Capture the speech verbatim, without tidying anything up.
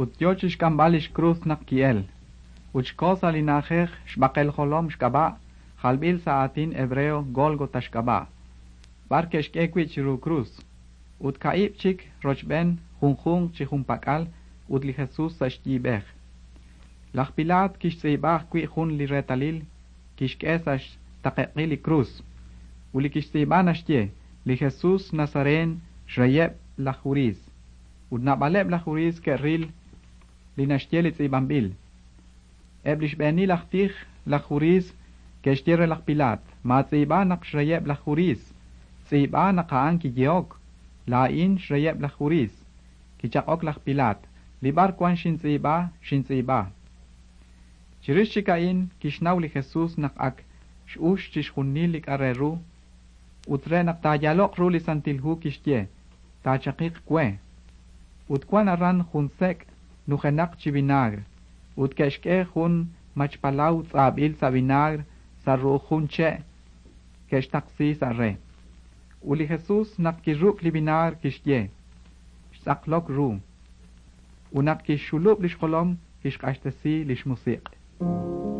Ut yo chi xk'amb'al li xkrus naq ki'elk. Ut xko sa' li na'ajej xb'aqel jolom xk'ab'a', jalb'il sa' aatin hebreo Gólgota xk'ab'a', b'ar ke'xk'e wi' chiru krus, ut kaahib' chik rochb'een, junjunq chi junpak'al ut li Jesus sa' xyiib'ej. Laj Pilaat kixtz'iib'a ajwi' jun li reetalil, kixk'e sa' xtaqeq'il li krus. Ut li kixtz'iib'a naxye: Li Jesus Nazareen, xreyeb' laj Judiiy. Ut naab'aleb' laj Judiiy ke'ril li naxye li tz'iib'anb'il. Eb' li xb'eenil aj tij laj Judiiy ke'xye re laj Pilaat: Maatz'iib'a naq xreyeb' laj Judiiy, tz'iib'a naq a'an kiyehok: Laa'in xreyeb' laj Judiiy. Kichaq'ok laj Pilaat: Li b'ar wan xintz'iib'a, xintz'iib'a. Chirix chik a'in kixnaw li Jesus naq ak x'ux chixjunil li k'a' re ru, ut re naq taayaalo'q ru li Santil Hu kixye: Taachaqiq we. Ut wan aran jun sek' nujenaq chi vinaagr, ut ke'xk'e jun machpalaw tz'aab'il sa' vinaagr sa' ru'uj jun che' ke'xtaqsi sa' re. Ut li Jesus naq kiruk' li vinaagr kixye: Xtz'aqlok ru. Ut naq kixxulub' li xjolom kixq'axtesi li xmusiq'.